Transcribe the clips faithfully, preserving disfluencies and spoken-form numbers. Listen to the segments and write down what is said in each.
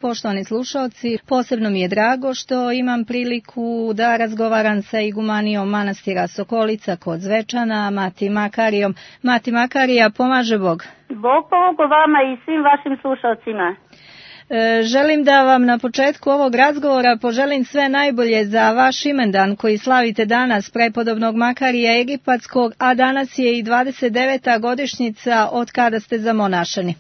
Poštovani slušalci, posebno mi je drago što imam priliku da razgovaram sa igumanijom manastira Sokolica kod Zvečana, Mati Makarijom. Mati Makarija, pomaže Bog. Bog pomogu vama i svim vašim slušalcima. E, želim da vam na početku ovog razgovora poželim sve najbolje za vaš imendan koji slavite danas, prepodobnog Makarija Egipatskog, a danas je i dvadeset deveta godišnjica od kada ste zamonašeni.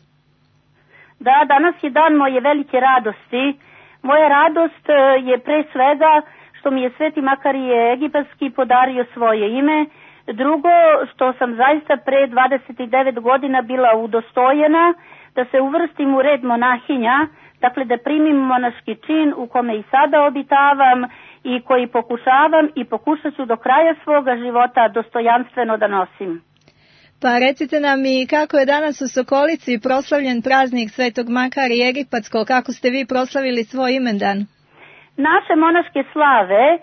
Da, danas je dan moje velike radosti. Moja radost je pre svega što mi je Sveti Makarije Egipatski podario svoje ime. Drugo, što sam zaista pre dvadeset devet godina bila udostojena da se uvrstim u red monahinja, dakle da primim monaški čin u kome i sada obitavam i koji pokušavam i pokušat ću do kraja svoga života dostojanstveno da nosim. Pa recite nam i kako je danas u Sokolici proslavljen praznik Svetog Makarija Egipatskog, kako ste vi proslavili svoj imendan? Naše monaške slave e,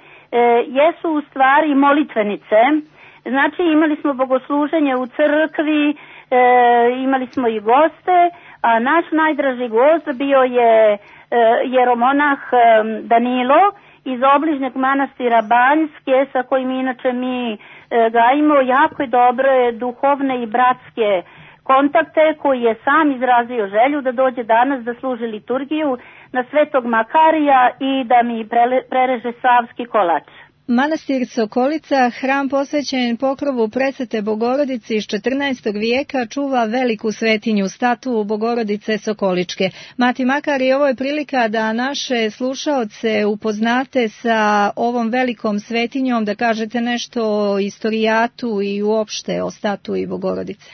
jesu u stvari molitvenice, znači imali smo bogosluženje u crkvi, e, imali smo i goste, a naš najdraži gost bio je e, jeromonah e, Danilo iz obližnjeg manastira Banjske, sa kojim inače mi e, gajimo jako je dobre duhovne i bratske kontakte, koji je sam izrazio želju da dođe danas da služi liturgiju na Svetog Makarija i da mi prele, prereže savski kolač. Manastir Sokolica, hram posvećen pokrovu Presvete Bogorodice iz četrnaestog vijeka, čuva veliku svetinju, statu Bogorodice Sokoličke. Mati Makari, ovo je prilika da naše slušaoce upoznate sa ovom velikom svetinjom, da kažete nešto o istorijatu i uopšte o statui Bogorodice.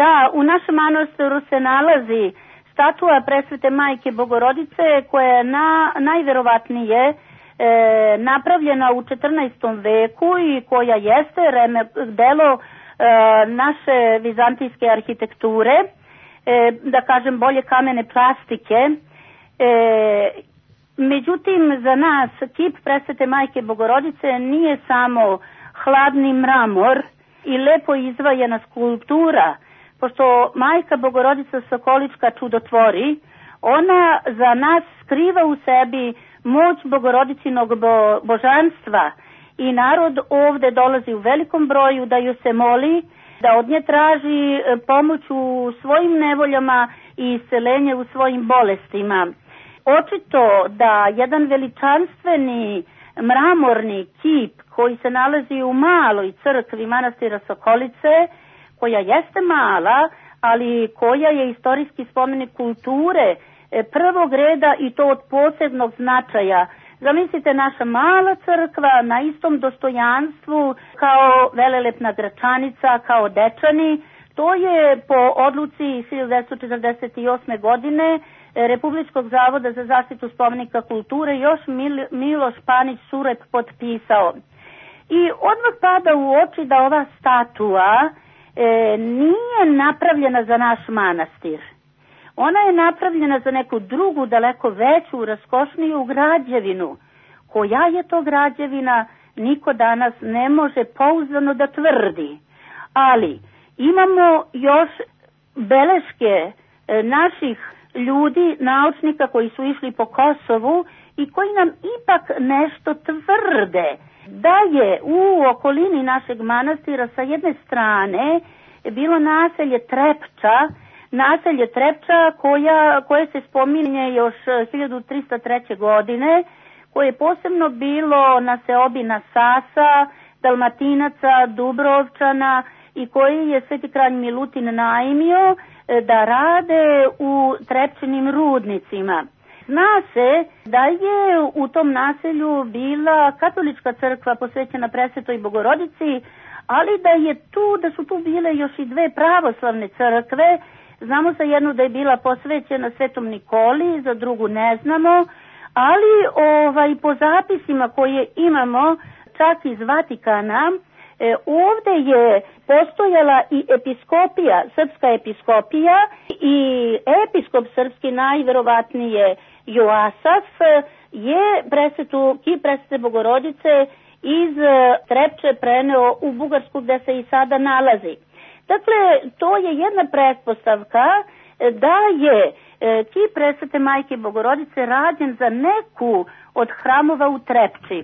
Da, u našem manastiru se nalazi statua Presvete Majke Bogorodice koja je na, najverovatnije E, napravljena u četrnaestom veku i koja jeste reme, delo e, naše vizantijske arhitekture, e, da kažem bolje kamene plastike. E, međutim, za nas kip Presvete Majke Bogorodice nije samo hladni mramor i lepo izvajena skulptura, pošto Majka Bogorodica Sokolička čudotvori, ona za nas skriva u sebi moć Bogorodicinog bo, božanstva i narod ovde dolazi u velikom broju da ju se moli, da od nje traži pomoć u svojim nevoljama i iscelenje u svojim bolestima. Očito da jedan veličanstveni mramorni kip koji se nalazi u maloj crkvi manastira Sokolice, koja jeste mala, ali koja je istorijski spomenik kulture prvog reda i to od posebnog značaja. Zamislite, naša mala crkva na istom dostojanstvu kao velelepna Gračanica, kao Dečani. To je po odluci hiljadu devetsto četrdeset osme. godine Republičkog zavoda za zaštitu spomenika kulture još Mil, Miloš Panić Surep potpisao. I odmah pada u oči da ova statua e, nije napravljena za naš manastir. Ona je napravljena za neku drugu, daleko veću, raskošniju građevinu. Koja je to građevina, niko danas ne može pouzdano da tvrdi. Ali imamo još beleške e, naših ljudi, naučnika koji su išli po Kosovu i koji nam ipak nešto tvrde. Da je u okolini našeg manastira sa jedne strane bilo naselje Trepča, naselje Trepča koja, koje se spominje još hiljadu trista treće. godine, koje je posebno bilo na seobina Sasa, Dalmatinaca, Dubrovčana i koji je Sveti kralj Milutin najmio da rade u Trepčinim rudnicima. Zna se da je u tom naselju bila katolička crkva posvećena Presvetoj Bogorodici, ali da je tu, da su tu bile još i dve pravoslavne crkve. Znamo za jednu da je bila posvećena Svetom Nikoli, za drugu ne znamo, ali ovaj, po zapisima koje imamo čak iz Vatikana, e, ovde je postojala i episkopija, srpska episkopija i episkop srpski najverovatnije Joasaf je presvetu, kip Presvete Bogorodice iz Trepče preneo u Bugarsku gde se i sada nalazi. Dakle, to je jedna pretpostavka da je kip presvete majke Bogorodice rađen za neku od hramova u Trepči.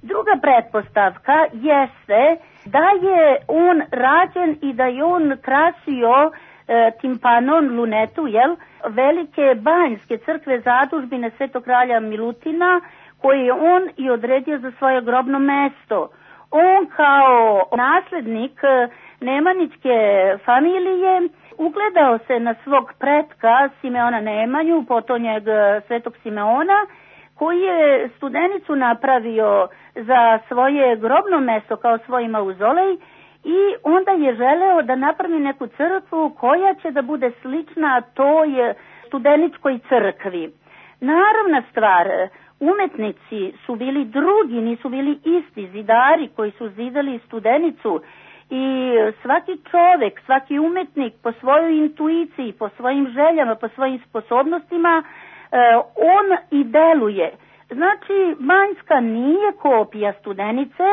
Druga pretpostavka jeste da je on rađen i da je on krasio e, timpanon lunetu, jel, velike banjske crkve zadužbine Svetog kralja Milutina, koje je on i odredio za svoje grobno mesto. On kao naslednik Nemanićke familije ugledao se na svog pretka Simeona Nemanju, potonjeg Svetog Simeona, koji je Studenicu napravio za svoje grobno mesto kao svoj mauzolej i onda je želeo da napravi neku crkvu koja će da bude slična toj Studeničkoj crkvi. Naravna stvar, umetnici su bili drugi, nisu bili isti zidari koji su zidali Studenicu i svaki čovek, svaki umetnik po svojoj intuiciji, po svojim željama, po svojim sposobnostima, on i deluje. Znači, Banjska nije kopija Studenice,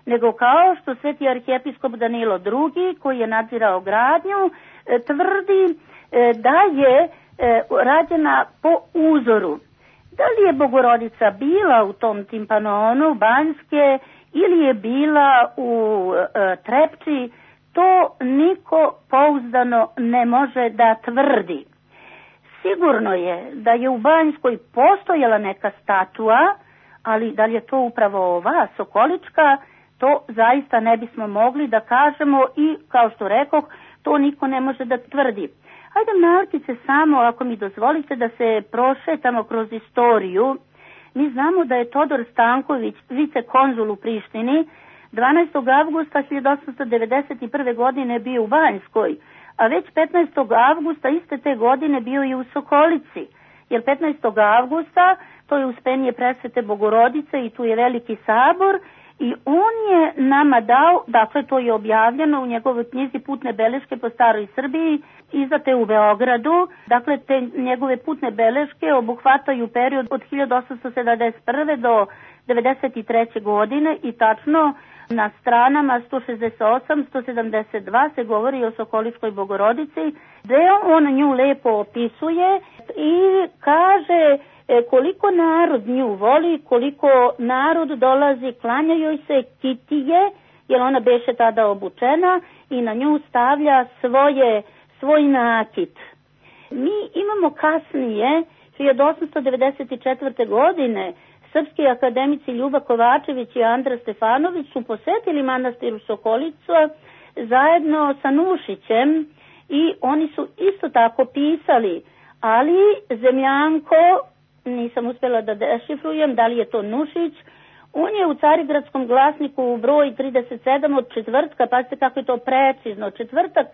nego kao što sveti arhijepiskop Danilo drugi, koji je nadzirao gradnju, tvrdi da je rađena po uzoru. Da li je Bogorodica bila u tom timpanonu Banjske ili je bila u e, Trepči, to niko pouzdano ne može da tvrdi. Sigurno je da je u Banjskoj postojala neka statua, ali da li je to upravo ova Sokolička, to zaista ne bismo mogli da kažemo i, kao što rekoh, to niko ne može da tvrdi. Hajde malkice samo, ako mi dozvolite, da se prošetamo kroz istoriju. Mi znamo da je Todor Stanković, vicekonzul u Prištini, dvanaestog avgusta hiljadu osamsto devedeset prve. godine bio u Banjskoj, a već petnaestog avgusta iste te godine bio i u Sokolici. Jer petnaestog avgusta to je uspenje presvete Bogorodice i tu je veliki sabor i on je nama dao, dakle to je objavljeno u njegovoj knjizi Putne beleške po staroj Srbiji, izdate u Beogradu. Dakle, te njegove putne beleške obuhvataju period od hiljadu osamsto sedamdeset prve. do devedeset treće. godine i tačno na stranama sto šezdeset osam do sto sedamdeset dva se govori o Sokoličkoj Bogorodici, gde on nju lepo opisuje i kaže koliko narod nju voli, koliko narod dolazi, klanja joj se, kitije, jer ona beše tada obučena i na nju stavlja svoje, svoj nakit. Mi imamo kasnije, hiljadu osamsto devedeset četvrte. godine, srpski akademici Ljuba Kovačević i Andra Stefanović su posetili manastir u Sokolicu zajedno sa Nušićem i oni su isto tako pisali, ali Zemljanko, nisam uspjela da dešifrujem da li je to Nušić, on je u Carigradskom glasniku broj trideset sedam od četvrtka, pazite kako je to precizno, četvrtak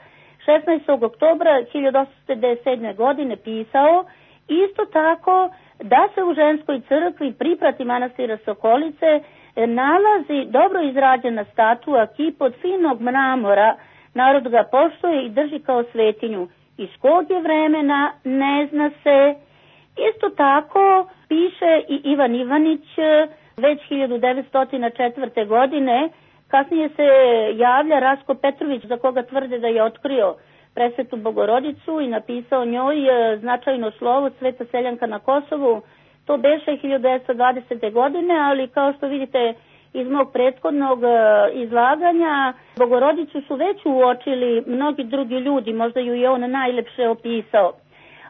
šesnaestog oktobra hiljadu osamsto devedeset sedme. godine pisao isto tako da se u ženskoj crkvi priprati manastira Sokolice nalazi dobro izrađena statua, kip od finog mramora, narod ga poštuje i drži kao svetinju. Iz kog je vremena ne zna se. Isto tako piše i Ivan Ivanić već hiljadu devetsto četvrte. godine, kasnije se javlja Rasko Petrović za koga tvrde da je otkrio presvetu Bogorodicu i napisao njoj značajno slovo Sveta seljanka na Kosovu. To beše hiljadu devetsto dvadesete. godine, ali kao što vidite iz mog prethodnog izlaganja, Bogorodicu su već uočili mnogi drugi ljudi, možda ju je on najlepše opisao.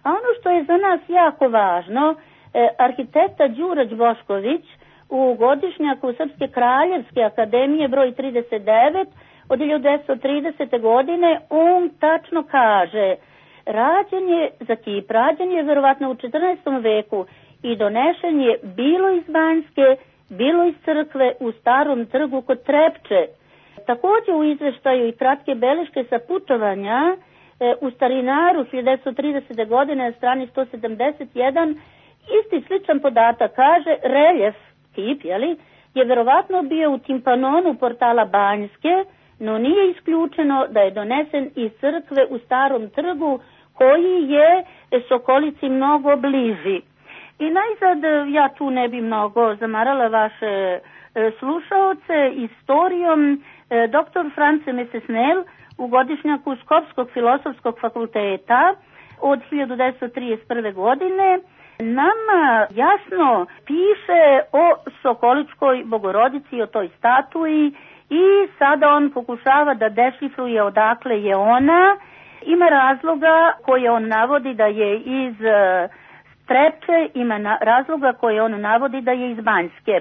A ono što je za nas jako važno, eh, arhitekta Đurađ Bošković u godišnjaku Srpske kraljevske akademije broj trideset devet od hiljadu devetsto tridesete. godine, on tačno kaže, rađen je za kip, rađen je verovatno u četrnaestom veku i donešen je bilo iz Banjske, bilo iz crkve u Starom trgu kod Trepče. Također u izveštaju i kratke beleške sa putovanja e, u Starinaru hiljadu devetsto tridesete. godine na strani sto sedamdeset jedan isti sličan podatak kaže reljef, kip, jeli, je verovatno bio u timpanonu portala Banjske, no nije isključeno da je donesen iz crkve u Starom trgu koji je Sokolici mnogo bliži. I najzad ja tu ne bi mnogo zamarala vaše e, slušaoce istorijom. E, doktor France Mesesnel u godišnjaku Skopskog filosofskog fakulteta od hiljadu devetsto trideset prve. godine nama jasno piše o Sokoličkoj Bogorodici, o toj statuji, i sada on pokušava da dešifruje odakle je ona. Ima razloga koje on navodi da je iz Trepče, ima na, razloga koje on navodi da je iz Banjske.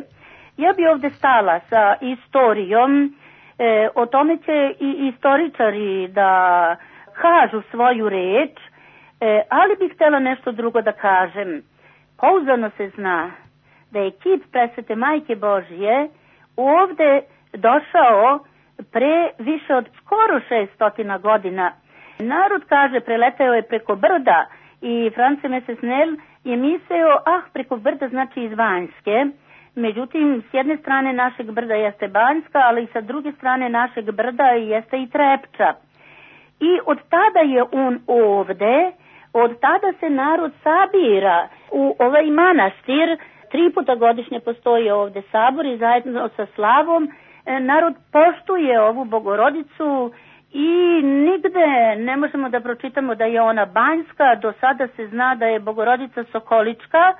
Ja bi ovde stala sa istorijom, e, o tome će i istoričari da kažu svoju reč, e, ali bih htjela nešto drugo da kažem. Pouzdano se zna da je kip Presvete Majke Božije ovde došao pre više od skoro šeststotina godina. Narod kaže preletao je preko brda i France Mesesnel je mislio, ah, preko brda znači iz Banjske. Međutim, s jedne strane našeg brda jeste Banjska, ali i sa druge strane našeg brda jeste i Trepča. I od tada je on ovde, od tada se narod sabira u ovaj manastir. Tri puta godišnje postoji ovde sabor i zajedno sa slavom narod poštuje ovu Bogorodicu i nigde ne možemo da pročitamo da je ona banjska. Do sada se zna da je Bogorodica Sokolička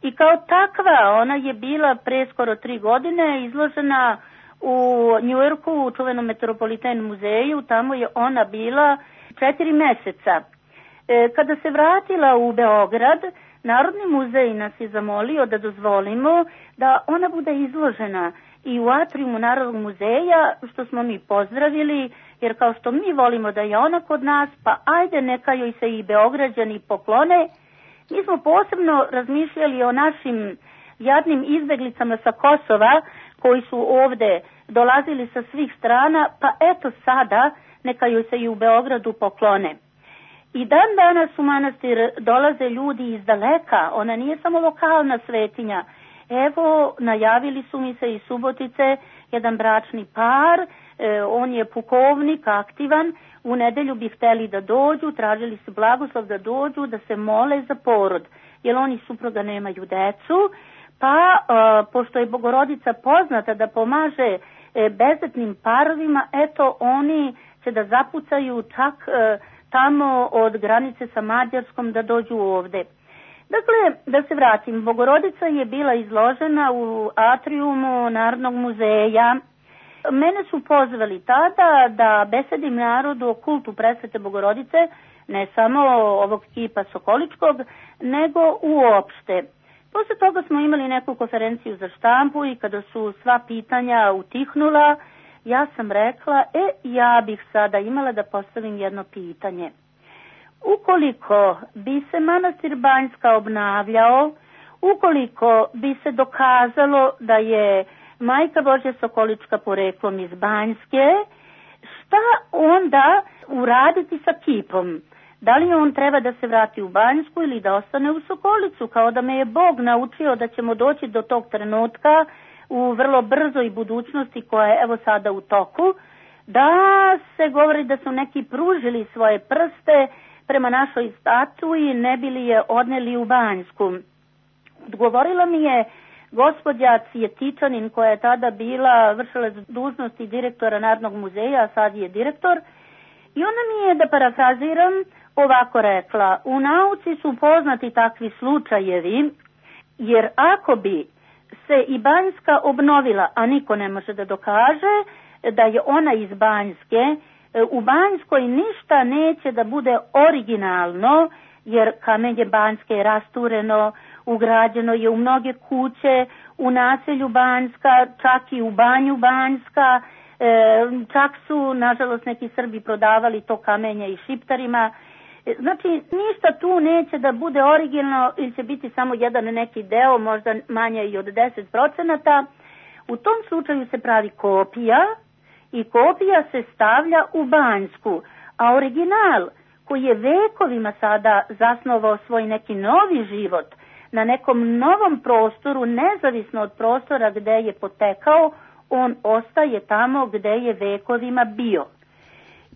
i kao takva ona je bila pre skoro tri godine izložena u Njujorku u čuvenom Metropolitan muzeju. Tamo je ona bila četiri meseca. E, kada se vratila u Beograd, Narodni muzej nas je zamolio da dozvolimo da ona bude izložena i u atriumu Narodnog muzeja, što smo mi pozdravili, jer kao što mi volimo da je ona kod nas, pa ajde neka joj se i Beograđani poklone. Mi smo posebno razmišljali o našim jadnim izbeglicama sa Kosova, koji su ovde dolazili sa svih strana, pa eto sada neka joj se i u Beogradu poklone. I dan danas u manastir dolaze ljudi iz daleka, ona nije samo lokalna svetinja. Evo, najavili su mi se iz Subotice jedan bračni par, e, on je pukovnik, aktivan, u nedelju bi hteli da dođu, tražili su blagoslov da dođu, da se mole za porod, jer oni supruga nemaju decu, pa e, pošto je Bogorodica poznata da pomaže e, bezdetnim parovima, eto oni će da zapucaju čak e, tamo od granice sa Mađarskom da dođu ovde. Dakle, da se vratim, Bogorodica je bila izložena u atriumu Narodnog muzeja. Mene su pozvali tada da besedim narodu o kultu Presvete Bogorodice, ne samo ovog kipa Sokoličkog, nego uopšte. Posle toga smo imali neku konferenciju za štampu i kada su sva pitanja utihnula, ja sam rekla, e, ja bih sada imala da postavim jedno pitanje. Ukoliko bi se manastir Banjska obnavljao, ukoliko bi se dokazalo da je Majka Božja Sokolička poreklom iz Banjske, šta onda uraditi sa kipom? Da li on treba da se vrati u Banjsku ili da ostane u Sokolicu, kao da me je Bog naučio da ćemo doći do tog trenutka u vrlo brzoj budućnosti koja je evo sada u toku, da se govori da su neki pružili svoje prste prema našoj statui, ne bili je odneli u Banjsku. Odgovorila mi je gospođa Cvjetičanin, koja je tada bila vršila dužnosti direktora Narodnog muzeja, a sad je direktor, i ona mi je, da parafraziram, ovako rekla: u nauci su poznati takvi slučajevi, jer ako bi se i Banjska obnovila, a niko ne može da dokaže da je ona iz Banjske, u Banjskoj ništa neće da bude originalno, jer kamenje Banjske je rastureno, ugrađeno je u mnoge kuće, u naselju Banjska, čak i u banju Banjska, e, čak su, nažalost, neki Srbi prodavali to kamenje i Šiptarima. Znači, ništa tu neće da bude originalno ili će biti samo jedan neki deo, možda manje i od deset procenata. U tom slučaju se pravi kopija i kopija se stavlja u Banjsku, a original koji je vekovima sada zasnovao svoj neki novi život na nekom novom prostoru, nezavisno od prostora gde je potekao, on ostaje tamo gde je vekovima bio.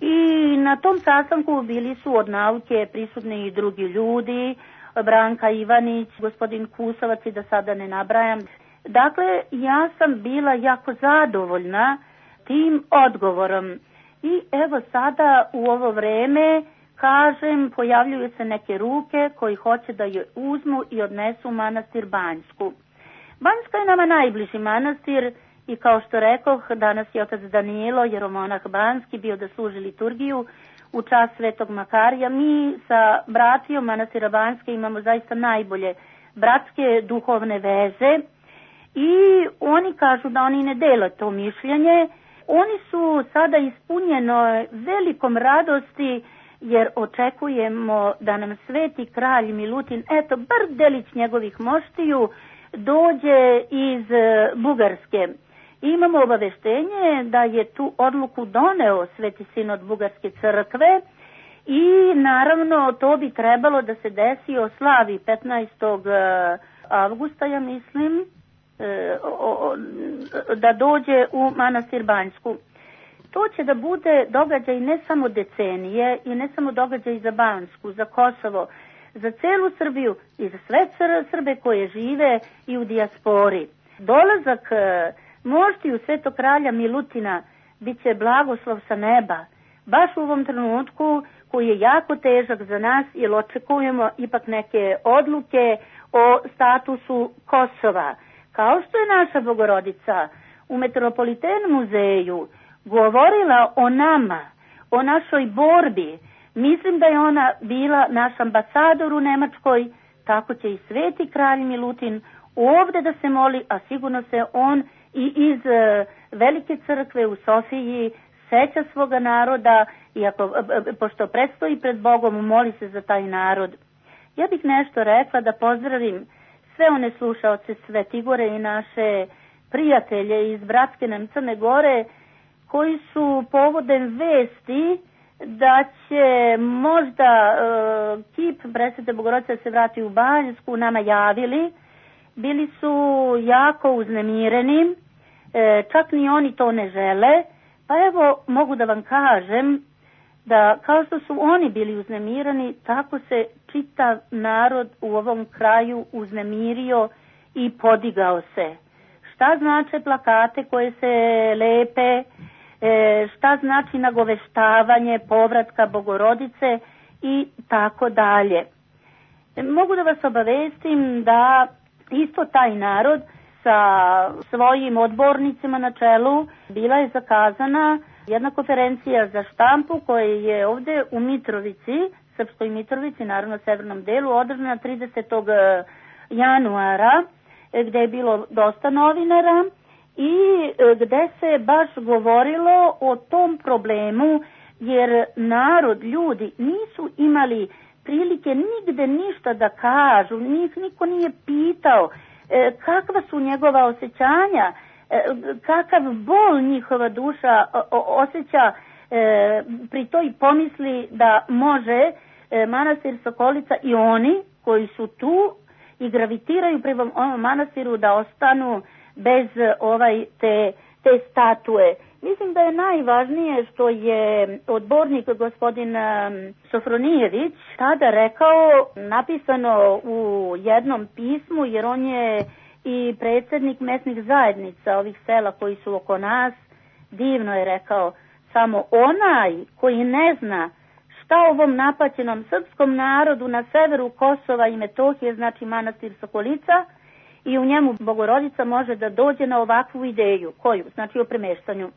I na tom sastanku bili su od nauke prisutni i drugi ljudi, Branka Ivanić, gospodin Kusovac i da sada ne nabrajam. Dakle, ja sam bila jako zadovoljna tim odgovorom. I evo sada u ovo vreme, kažem, pojavljuju se neke ruke koji hoće da je uzmu i odnesu u manastir Banjsku. Banjska je nama najbliži manastir i kao što rekoh, danas je otac Danilo, jeromonah Banjski, bio da služi liturgiju u čast Svetog Makarija. Mi sa bratijom manastira Banjske imamo zaista najbolje bratske duhovne veze i oni kažu da oni ne dele to mišljenje. Oni su sada ispunjeno velikom radosti jer očekujemo da nam sveti kralj Milutin, eto, bar delić njegovih moštiju, dođe iz Bugarske. Imamo obaveštenje da je tu odluku doneo Sveti sinod Bugarske crkve i naravno to bi trebalo da se desi o slavi petnaestog avgusta, ja mislim, da dođe u manastir Banjsku. To će da bude događaj ne samo decenije i ne samo događaj za Banjsku, za Kosovo, za celu Srbiju i za sve Srbe koje žive i u dijaspori. Dolazak moštiju Svetog kralja Milutina bit će blagoslov sa neba, baš u ovom trenutku koji je jako težak za nas jer očekujemo ipak neke odluke o statusu Kosova. Kao što je naša Bogorodica u Metropoliten muzeju govorila o nama, o našoj borbi, mislim da je ona bila naš ambasador u Nemačkoj, tako će i sveti kralj Milutin ovde da se moli, a sigurno se on i iz Velike crkve u Sofiji seća svoga naroda i ako, pošto predstoji pred Bogom, moli se za taj narod. Ja bih nešto rekla da pozdravim sve one slušaoce Svetigore i naše prijatelje iz bratske nam Crne Gore koji su povodem vesti da će možda uh, kip Presvete Bogorodice se vrati u Banjsku nama javili. Bili su jako uznemireni, e, čak ni oni to ne žele, pa evo mogu da vam kažem da kao što su oni bili uznemireni, tako se čitav narod u ovom kraju uznemirio i podigao se. Šta znače plakate koje se lepe, e, šta znači nagoveštavanje povratka Bogorodice i tako dalje. E, mogu da vas obavestim da isto taj narod sa svojim odbornicima na čelu bila je zakazana jedna konferencija za štampu koja je ovde u Mitrovici, Srpskoj Mitrovici, naravno severnom delu, održana tridesetog januara, gde je bilo dosta novinara i gde se baš govorilo o tom problemu, jer narod, ljudi nisu imali prilike nigde ništa da kažu, njih niko nije pitao e, kakva su njegova osjećanja, e, kakav bol njihova duša o, o, osjeća e, pri toj pomisli da može e, manastir Sokolica i oni koji su tu i gravitiraju prema ovom manastiru da ostanu bez ovaj te, te statue. Mislim da je najvažnije što je odbornik gospodin Sofronijević tada rekao, napisano u jednom pismu, jer on je i predsjednik mesnih zajednica ovih sela koji su oko nas, divno je rekao, samo onaj koji ne zna šta ovom napaćenom srpskom narodu na severu Kosova i Metohije znači manastir Sokolica i u njemu Bogorodica može da dođe na ovakvu ideju, koju, znači o premeštanju.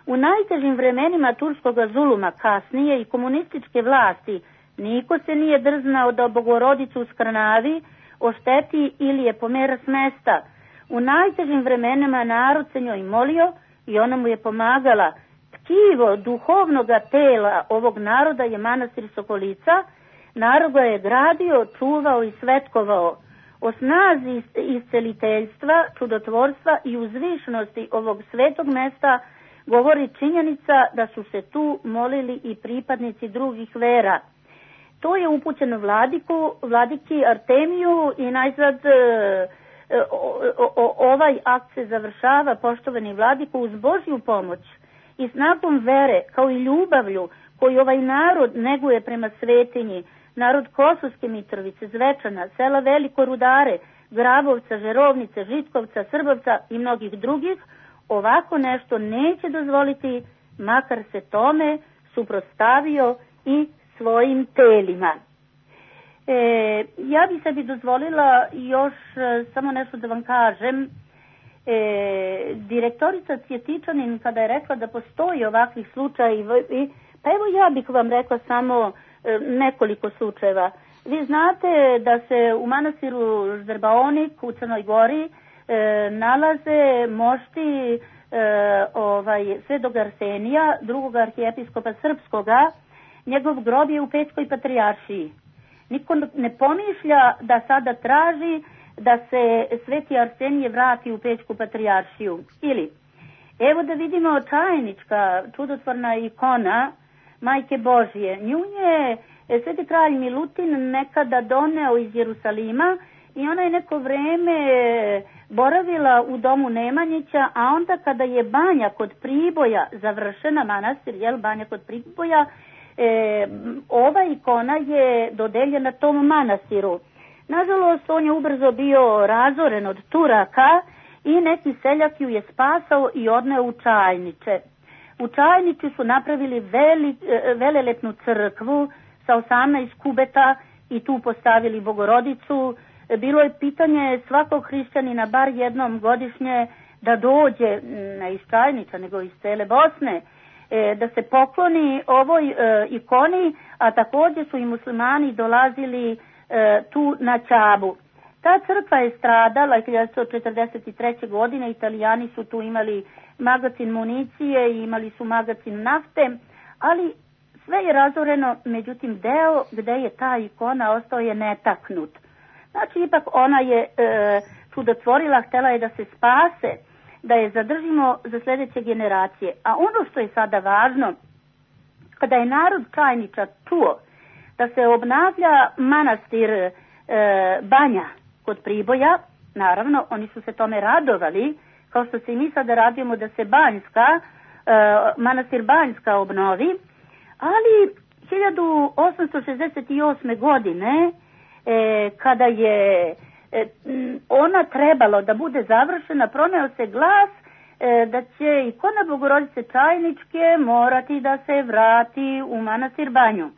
U najtežim vremenima turskog zuluma kasnije i komunističke vlasti niko se nije drznao da Bogorodicu skrnavi, ošteti ili je pomera s mesta. U najtežim vremenima narod se njoj molio i ona mu je pomagala. Tkivo duhovnoga tela ovog naroda je manastir Sokolica. Narod ga je gradio, čuvao i svetkovao. O snazi isceliteljstva, čudotvorstva i uzvišnosti ovog svetog mesta govori činjenica da su se tu molili i pripadnici drugih vera. To je upućeno vladiku, vladiki Artemiju i najzad e, o, o, ovaj akt se završava, poštovani vladiku, uz Božju pomoć i snagom vere kao i ljubavlju koju ovaj narod neguje prema svetinji, narod Kosovske Mitrovice, Zvečana, sela Veliko Rudare, Grabovca, Žerovnice, Žitkovca, Srbovca i mnogih drugih, ovako nešto neće dozvoliti, makar se tome suprotstavio i svojim telima. E, ja bi sebi dozvolila još e, samo nešto da vam kažem. E, direktorica Cvjetičanin kada je rekla da postoji ovakvih slučajeva, pa evo ja bih vam rekla samo e, nekoliko slučajeva. Vi znate da se u manastiru Žderbaonik u Crnoj Gori e, nalaze mošti e, ovaj, Svetog Arsenija, drugog arhijepiskopa srpskoga. Njegov grob je u Pećkoj patrijaršiji. Niko ne pomišlja da sada traži da se Sveti Arsenije vrati u Pećku patrijaršiju. Ili, evo da vidimo čajnička, čudotvorna ikona Majke Božje. Nju je Sveti kralj Milutin nekada doneo iz Jerusalima i ona je neko vreme boravila u domu Nemanjića, a onda kada je banja kod Priboja završena, manastir, jel, banja kod Priboja, e, ova ikona je dodeljena tom manastiru. Nažalost, on je ubrzo bio razoren od Turaka i neki seljak ju je spasao i odneo u Čajniče. U Čajniču su napravili veli, velelepnu crkvu sa osamnaest kubeta i tu postavili Bogorodicu. Bilo je pitanje svakog hrišćanina bar jednom godišnje da dođe, ne iz Čajniča nego iz cele Bosne, da se pokloni ovoj ikoni, a također su i muslimani dolazili tu na Čabu. Ta crkva je stradala hiljadu četrdeset treće. godine, Italijani su tu imali magacin municije i imali su magacin nafte, ali sve je razoreno, međutim deo gde je ta ikona ostao je netaknut. Znači ipak ona je e, čudotvorila, htjela je da se spase, da je zadržimo za sljedeće generacije. A ono što je sada važno, kada je narod Čajniča čuo da se obnavlja manastir e, Banja kod Priboja, naravno oni su se tome radovali, kao što se i mi sada radimo da se Banjska, e, manastir Banjska obnovi, ali hiljadu osamsto šezdeset osme. godine, e, kada je e, ona trebalo da bude završena, proneo se glas e, da će ikona Bogorodice Čajničke morati da se vrati u manastir Banju.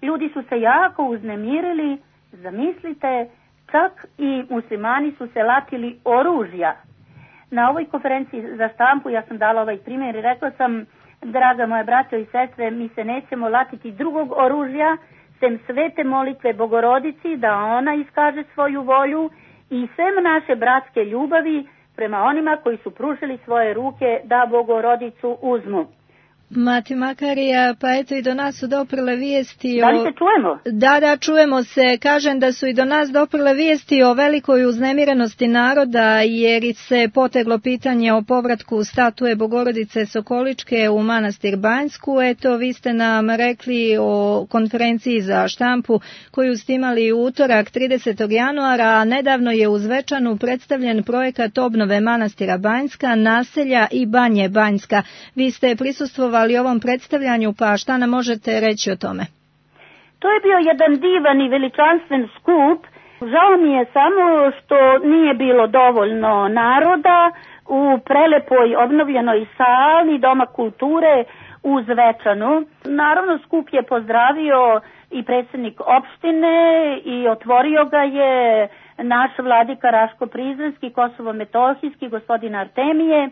Ljudi su se jako uznemirili, zamislite, čak i muslimani su se latili oružja. Na ovoj konferenciji za štampu ja sam dala ovaj primjer i rekla sam, draga moja braćo i sestre, mi se nećemo latiti drugog oružja, sem svete molitve Bogorodici da ona iskaže svoju volju i sem naše bratske ljubavi prema onima koji su pružili svoje ruke da Bogorodicu uzmu. Mati Makarija, pa eto i do nas su doprle vijesti o... Da li se čujemo? Da, da, čujemo se. Kažem da su i do nas doprle vijesti o velikoj uznemirenosti naroda, jer se poteglo pitanje o povratku statue Bogorodice Sokoličke u manastir Banjsku. Eto, vi ste nam rekli o konferenciji za štampu koju ste imali u utorak tridesetog januara, a nedavno je u Zvečanu predstavljen projekat obnove manastira Banjska, naselja i Banje Banjska. Vi ste prisustvovali ovom predstavljanju, pa šta nam možete reći o tome? To je bio jedan divan i veličanstven skup. Žao mi je samo što nije bilo dovoljno naroda u prelepoj obnovljenoj sali Doma kulture u Zvečanu. Naravno, skup je pozdravio i predsjednik opštine i otvorio ga je naš vladika Raško-Prizrenski, Kosovo-Metohijski, gospodin Artemije.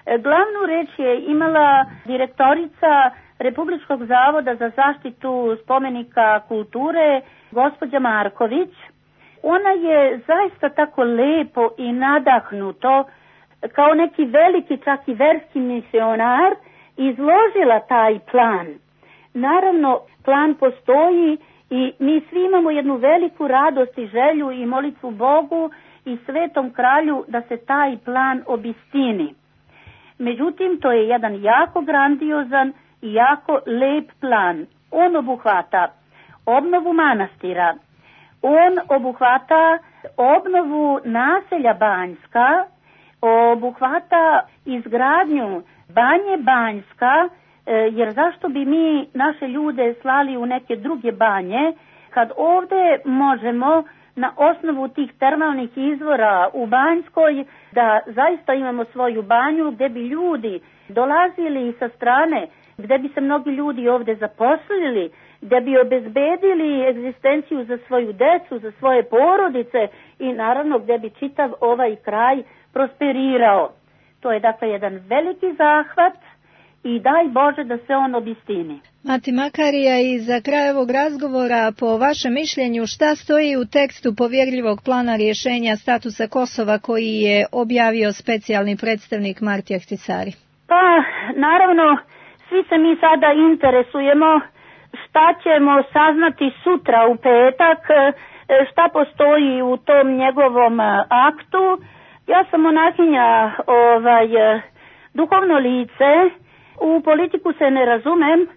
Glavnu reč je imala direktorica Republičkog zavoda za zaštitu spomenika kulture, gospođa Marković. Ona je zaista tako lepo i nadahnuto, kao neki veliki čak i verski misionar, izložila taj plan. Naravno, plan postoji i mi svi imamo jednu veliku radost i želju i molitvu Bogu i Svetom kralju da se taj plan obistini. Međutim, to je jedan jako grandiozan i jako lep plan. On obuhvata obnovu manastira, on obuhvata obnovu naselja Banjska, obuhvata izgradnju Banje Banjska, jer zašto bi mi naše ljude slali u neke druge banje, kad ovdje možemo na osnovu tih termalnih izvora u Banjskoj da zaista imamo svoju banju gdje bi ljudi dolazili sa strane gde bi se mnogi ljudi ovde zaposlili, gde bi obezbedili egzistenciju za svoju decu, za svoje porodice i naravno gde bi čitav ovaj kraj prosperirao. To je dakle jedan veliki zahvat i daj Bože da se on obistini. Mati Makarija, i za kraj ovog razgovora, po vašem mišljenju, šta stoji u tekstu povjerljivog plana rješenja statusa Kosova koji je objavio specijalni predstavnik Marti Ahtisari? Pa, naravno, svi se mi sada interesujemo šta ćemo saznati sutra u petak, šta postoji u tom njegovom aktu. Ja sam monahinja, ovaj, duhovno lice, u politiku se ne razumem,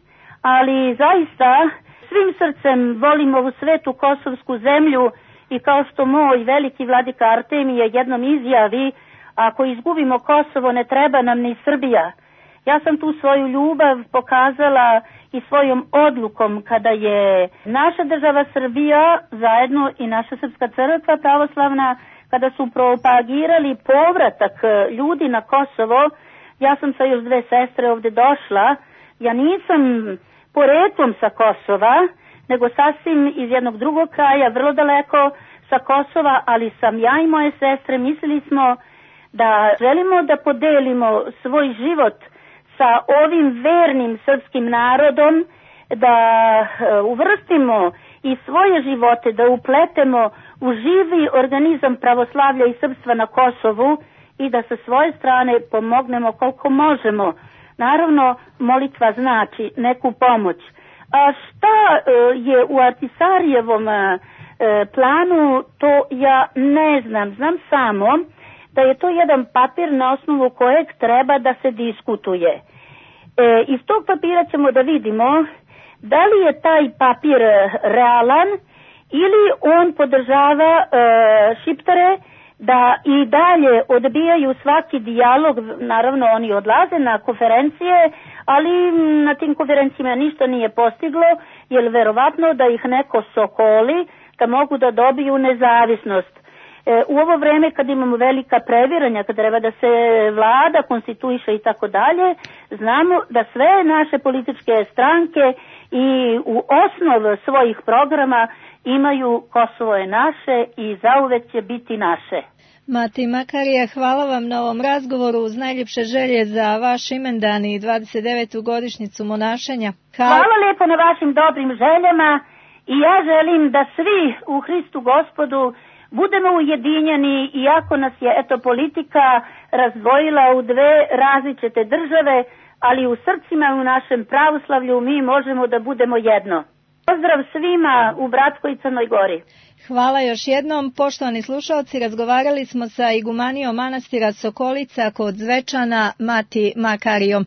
ali zaista svim srcem volim ovu svetu kosovsku zemlju i kao što moj veliki vladika Artemije jednom izjavi, ako izgubimo Kosovo ne treba nam ni Srbija. Ja sam tu svoju ljubav pokazala i svojom odlukom kada je naša država Srbija, zajedno i naša Srpska crkva pravoslavna, kada su propagirali povratak ljudi na Kosovo. Ja sam sa još dve sestre ovde došla, ja nisam poreklom sa Kosova, nego sasvim iz jednog drugog kraja, vrlo daleko sa Kosova, ali sam ja i moje sestre mislili smo da želimo da podelimo svoj život sa ovim vernim srpskim narodom, da uvrstimo i svoje živote, da upletemo u živi organizam pravoslavlja i srpstva na Kosovu i da sa svoje strane pomognemo koliko možemo. Naravno, molitva znači neku pomoć. A šta je u Ahtisarijevom planu, to ja ne znam. Znam samo da je to jedan papir na osnovu kojeg treba da se diskutuje. E, iz tog papira ćemo da vidimo da li je taj papir realan ili on podržava e, Šiptare da i dalje odbijaju svaki dijalog. Naravno oni odlaze na konferencije, ali na tim konferencijama ništa nije postiglo, jer verovatno da ih neko sokoli da mogu da dobiju nezavisnost. E, u ovo vreme kad imamo velika previranja, kad treba da se vlada konstituiše i tako dalje, znamo da sve naše političke stranke i u osnov svojih programa imaju Kosovo je naše i zauvek će biti naše. Mati Makarija, hvala vam na ovom razgovoru, uz najljepše želje za vaš imendan i dvadeset devetu godišnjicu monašenja. Hvala, hvala lijepo na vašim dobrim željama i ja želim da svi u Hristu Gospodu budemo ujedinjeni, iako nas je eto politika razdvojila u dve različite države, ali u srcima i u našem pravoslavlju mi možemo da budemo jedno. Pozdrav svima u Bratskoj i Crnoj Gori. Hvala još jednom. Poštovani slušalci, razgovarali smo sa igumanijom manastira Sokolica kod Zvečana, Mati Makarijom.